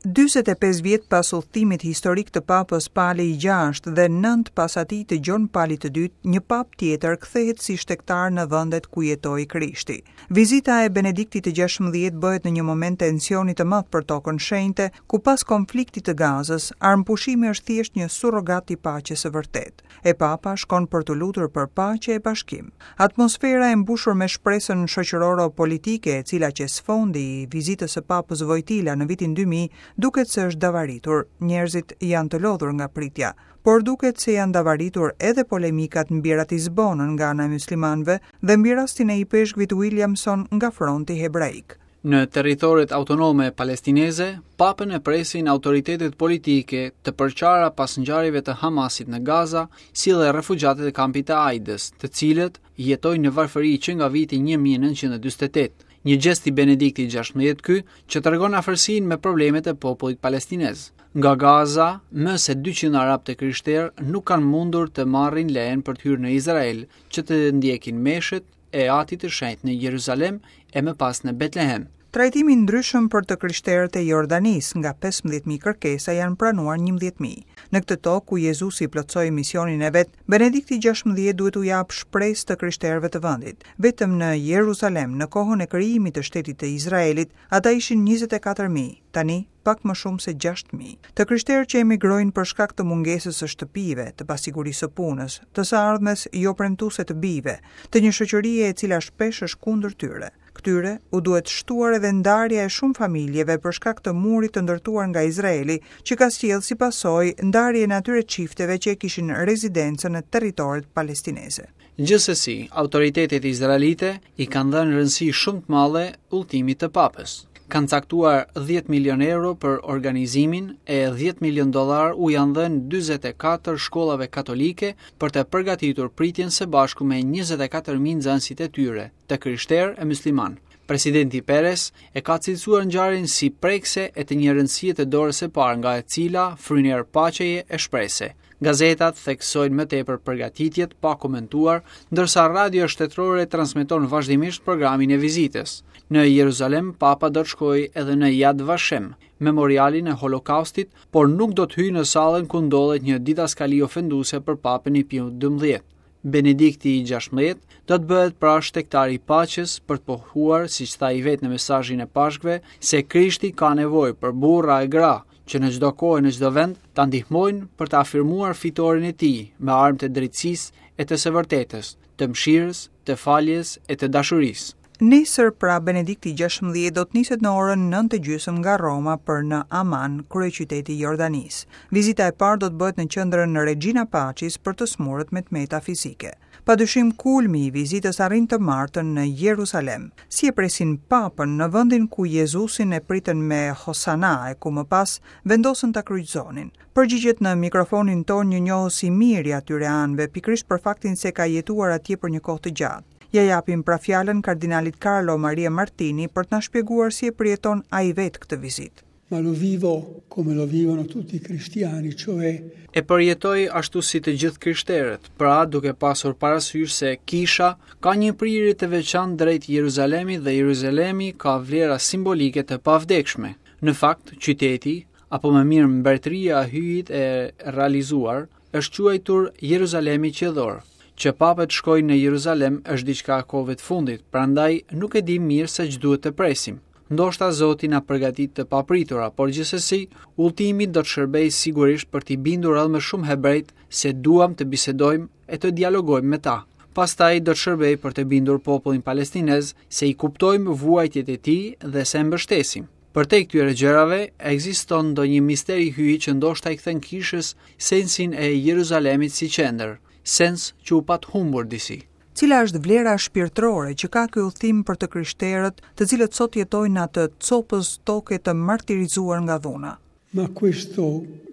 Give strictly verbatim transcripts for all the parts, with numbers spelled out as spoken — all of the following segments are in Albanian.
Dyzet e pesë vjet pas udhëtimit historik të Papës Pali i gjashtë dhe nëntë pas atij të Gjon Palit të dytë, një papë tjetër kthehet si shtegtar në vendet ku jetoi Krishti. Vizita e Benediktit të gjashtëmbëdhjetë bëhet në një moment tensioni të madh për tokën shenjte, ku pas konfliktit të Gazës, armëpushimi është thjesht një surrogat i paqes së vërtetë. E Papa shkon për të lutur për paqe e bashkim. Atmosfera e mbushur me shpresën shoqëroro-politike, e cila qe sfondi i vizitës së Papës Vojtila në vitin dy mijë, duket se është davaritur. Njerëzit janë të lodhur nga pritja, por duket se janë davaritur edhe polemikat mbi Ratisbonën nga ana e muslimanëve dhe mbi rastin e ipeshkvit Williamson nga fronti hebraik. Në territoret autonome palestineze, papën e presin autoritetet politike të përqara pas ngjarjeve të Hamasit në Gaza, si dhe refugjatët e kampit të Aidës, të cilët jetojnë në varfëri që nga viti një mijë e nëntëqind e dyzet e tetë. Një gjest i Benediktit gjashtëmbëdhjetë ky që tregon afërsinë me problemet e popullit palestinez. Nga Gaza, më se dyqind arab të krishterë nuk kanë mundur të marrin lejen për të hyrë në Izrael, që të ndjekin meshët e Atit të Shenjtë në Jeruzalem e më pas në Betlehem. Trajtimi ndryshëm për të krishterët e Jordanisë, nga pesëmbëdhjetë mijë kërkesa janë pranuar njëmbëdhjetë mijë. Në këtë tokë ku Jezusi plotësoi misionin e vet, Benedikti gjashtëmbëdhjetë duhet u japë shpresë të krishterëve të vendit. Vetëm në Jeruzalem, në kohën e krijimit të shtetit të Izraelit, ata ishin njëzet e katër mijë, tani pak më shumë se gjashtë mijë. Të krishterë që emigrojnë për shkak të mungesës së shtëpive, të pasigurisë së punës, të së ardhmes jo premtuese të bijve, të një shoqërie e cila shpesh është kundër tyre. Këtyre u duhet shtuar edhe ndarja e shumë familjeve për shkak të murit të ndërtuar nga Izraeli, që ka sjellë si pasojë ndarjen e atyre çifteve që e kishin rezidencën në territoret palestineze. Gjithsesi, autoritetet izraelite i kanë dhënë rëndësi shumë të madhe udhëtimit të papës. Kanë caktuar dhjetë milion euro për organizimin e dhjetë milion dollar u janë dhënë dyzet e katër shkollave katolike për të përgatitur pritjen së bashku me njëzet e katër mijë nxënësit e tyre, të krishterë e musliman. Presidenti Perez e ka cilësuar ngjarjen si prekse e të një rëndësie të dorës së parë nga e cila fryn erë paqeje e shprese. Gazetat theksojnë më tepër përgatitjet pa komentuar, ndërsa radio shtetërore transmeton vazhdimisht programin e vizitës. Në Jeruzalem, Papa do të shkojë edhe në Yad Vashem, memorialin e Holokaustit, por nuk do të hyjë në sallën ku ndodhet një didaskali ofenduese për Papën i Piu dymbëdhjetë. Benedikti i gjashtëmbëdhjetë do të bëhet pra shtegtari i paqes për të pohuar, siç tha i vetë në mesazhin e Pashkëve, se Krishti ka nevojë për burra e gra që në çdo kohë e në çdo vend ta ndihmojnë për të afirmuar fitoren e tij me armë të drejtësisë e të së vërtetës, të mëshirës, të faljes e të dashurisë. Nesër pra Benedikti gjashtëmbëdhjetë do të niset në orën nëntë e gjysmë nga Roma për në Aman, kryeqyteti i Jordanisë. Vizita e parë do të bëhet në qendrën Regina Pacis për të smurët me të meta fizike. Padyshim kulmi i vizitës arrin të martën në Jeruzalem. Si e presin papën në vendin ku Jezusin e pritën me Hosana e ku më pas vendosën ta kryqëzonin. Përgjigjet në mikrofonin ton një njohës i mirë i atyre anëve, pikërisht për faktin se ka jetuar atje për një kohë të gjatë. Ja japim pra fjalën kardinalit Carlo Maria Martini për të na shpjeguar si e përjeton ai vetë këtë vizitë. Ma lo vivo come lo vivono tutti i cristiani, cioè E përjetoj ashtu si të gjithë krishterët, pra duke pasur parasysh se kisha ka një prirje të veçantë drejt Jeruzalemit dhe Jeruzalemi ka vlera simbolike të pavdekshme. Në fakt, qyteti, apo më mirë mbretëria e Hyjit e realizuar, është quajtur Jeruzalemi qiellor. Që papët shkojnë në Jeruzalem është diçka e kohëve të fundit, prandaj nuk e di mirë se ç'duhet të presim. Ndoshta Zoti na përgatit të papritura, por gjithsesi udhëtimi do të shërbejë sigurisht për t'i bindur edhe më shumë hebrejt se duam të bisedojmë e të dialogojmë me ta. Pastaj do të shërbejë për të bindur popullin palestinez se i kuptojmë vuajtjet e tij dhe se e mbështesim. Përtej këtyre gjërave, ekziston ndonjë mister i hyjit që ndoshta i kthen kishës sensin e Jeruzalemit si qendër, sens që u pat humbur disi. Cila është vlera shpirtërore që ka ky udhëtim për të krishterët, të cilët sot jetojnë në atë copës toke të martirizuar nga dhuna? Ma questo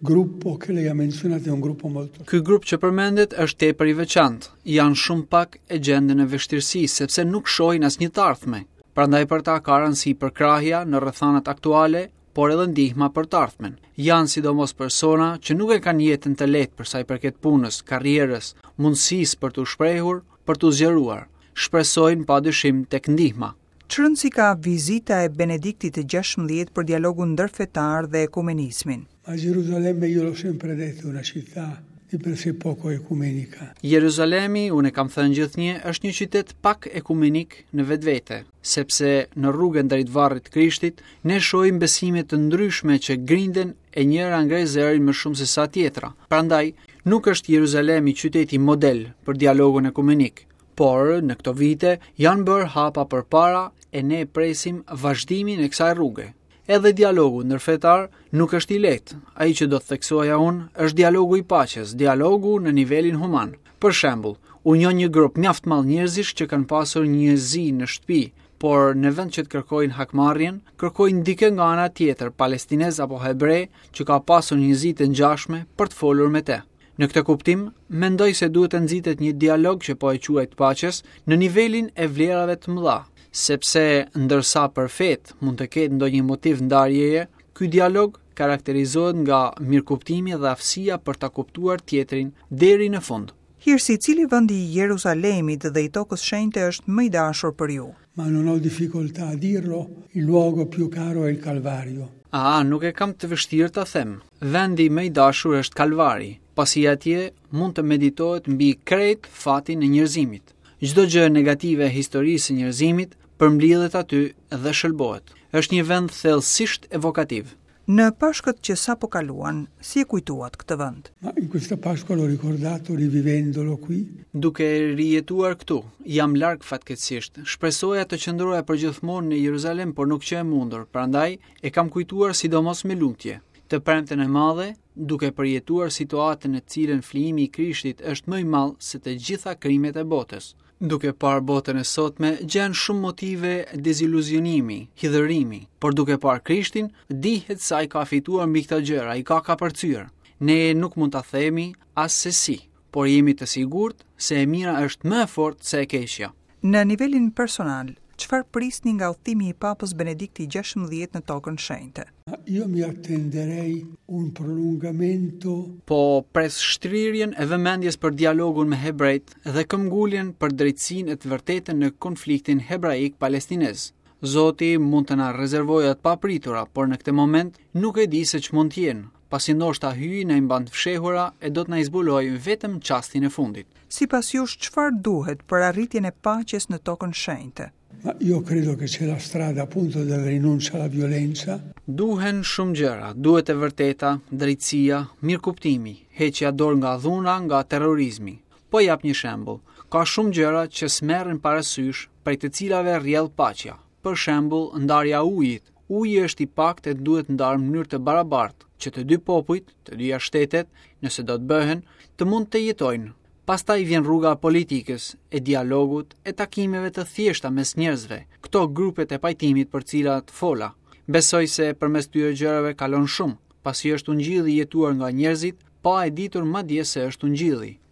gruppo che lei ha menzionato è un gruppo molto Ky grup që përmendet është tepër i veçantë. Janë shumë pak e gjenden në vështirësi sepse nuk shohin asnjë të ardhme. Prandaj për ta ka rëndësi përkrahja në rrethanat aktuale, por edhe ndihma për të ardhmen. Janë sidomos persona që nuk e kanë jetën të lehtë për sa i përket punës, karrierës, mundësisë për t'u shprehur, për t'u zgjeruar. Shpresojnë padyshim tek ndihma. Ç'rëndësi ka vizita e Benediktit të gjashtëmbëdhjetë për dialogun ndërfetar dhe ekumenizmin? Ma Gerusalemme, io l'ho sempre detto, è una città di per sé poco ecumenica. Jeruzalemi, unë e kam thënë gjithnjë, është një qytet pak ekumenik në vetvete, sepse në rrugën drejt varrit të Krishtit ne shohim besime të ndryshme që grinden e njëra ngre zërin më shumë se sa tjetra. Prandaj, nuk është Jeruzalemi qyteti model për dialogun ekumenik, por në këto vite janë bërë hapa përpara e ne presim vazhdimin e kësaj rruge. Edhe dialogu ndërfetar nuk është i lehtë. Ai që do të theksoja unë është dialogu i paqes, dialogu në nivelin human. Për shembull, unë njoh një grup mjaft madh njerëzish që kanë pasur një zi në shtëpi, por në vend që të kërkojnë hakmarrjen, kërkojnë dikë nga ana tjetër, palestinez apo hebre, që ka pasur një zi të ngjashme për të folur me të. Në këtë kuptim, mendoj se duhet të nxitet një dialog që po e quaj të paqes në nivelin e vlerave të mëdha, sepse ndërsa për fetë mund të ketë ndonjë motiv ndarjeje, ky dialog karakterizohet nga mirëkuptimi dhe aftësia për ta kuptuar tjetrin deri në fund. Hirësi, cili vend i Jerusalemit dhe i tokës shenjte është më i dashur për ju? Ma non ho difficoltà a dirlo, il luogo più caro è il Calvario. A, nuk e kam të vështirë ta them. Vendi më i dashur është Kalvari, pasi atje mund të meditohet mbi krejt fatin e njerëzimit. Çdo gjë negative e historisë së njerëzimit përmblidhet aty dhe shëlbohet. Është një vend thellësisht evokativ. Në Pashkët që sapo kaluan, si e kujtuat këtë vend? Ma in questa Pasqua l'ho ricordato rivivendolo qui. Duke e rijetuar këtu, jam larg fatkeqësisht. Shpresoja të qëndroja përgjithmonë në Jeruzalem, por nuk qe e mundur, prandaj e kam kujtuar sidomos me lutje. Të premten e madhe, duke përjetuar situatën në të cilën flijimi i Krishtit është më i madh se të gjitha krimet e botës. Duke parë botën e sotme, gjen shumë motive deziluzionimi, hidhërimi, por duke parë Krishtin, dihet se ai ka fituar mbi këto gjëra, i ka kapërcyer. Ne nuk mund ta themi as se si, por jemi të sigurt se e mira është më e fortë se e keqja. Në nivelin personal, çfarë prisni nga udhëtimi i Papës Benedikti gjashtëmbëdhjetë në tokën shenjte? Ma io mi attenderei un prolungamento. Po pres shtrirjen e vëmendjes për dialogun me hebrejt dhe këmbguljen për drejtësinë e të vërtetën në konfliktin hebraik-palestinez. Zoti mund të na rezervojë të papritura, por në këtë moment nuk e di se ç'mund të jenë, pasi ndoshta hyji na i mban të fshehura e do të na i zbulojë vetëm çastin e fundit. Sipas jush, çfarë duhet për arritjen e paqes në tokën shenjte? Ma io credo che c'è la strada appunto della rinuncia alla violenza. Duhen shumë gjëra, duhet e vërteta, drejtësia, mirëkuptimi, heqja dorë nga dhuna, nga terrorizmi. Po jap një shembull. Ka shumë gjëra që s'merren parasysh, prej të cilave rrjedh paqja. Për shembull, ndarja e ujit. Uji është i paktë e duhet ndarë në mënyrë të barabartë, që të dy popujt, të dyja shtetet, nëse do të bëhen, të mund të jetojnë. Pastaj vjen rruga e politikës, e dialogut, e takimeve të thjeshta mes njerëzve, këto grupet e pajtimit për cilat fola. Besoj se përmes këtyre gjërave kalon shumë, pasi është ungjilli i jetuar nga njerëzit, pa e ditur madje se është ungjilli.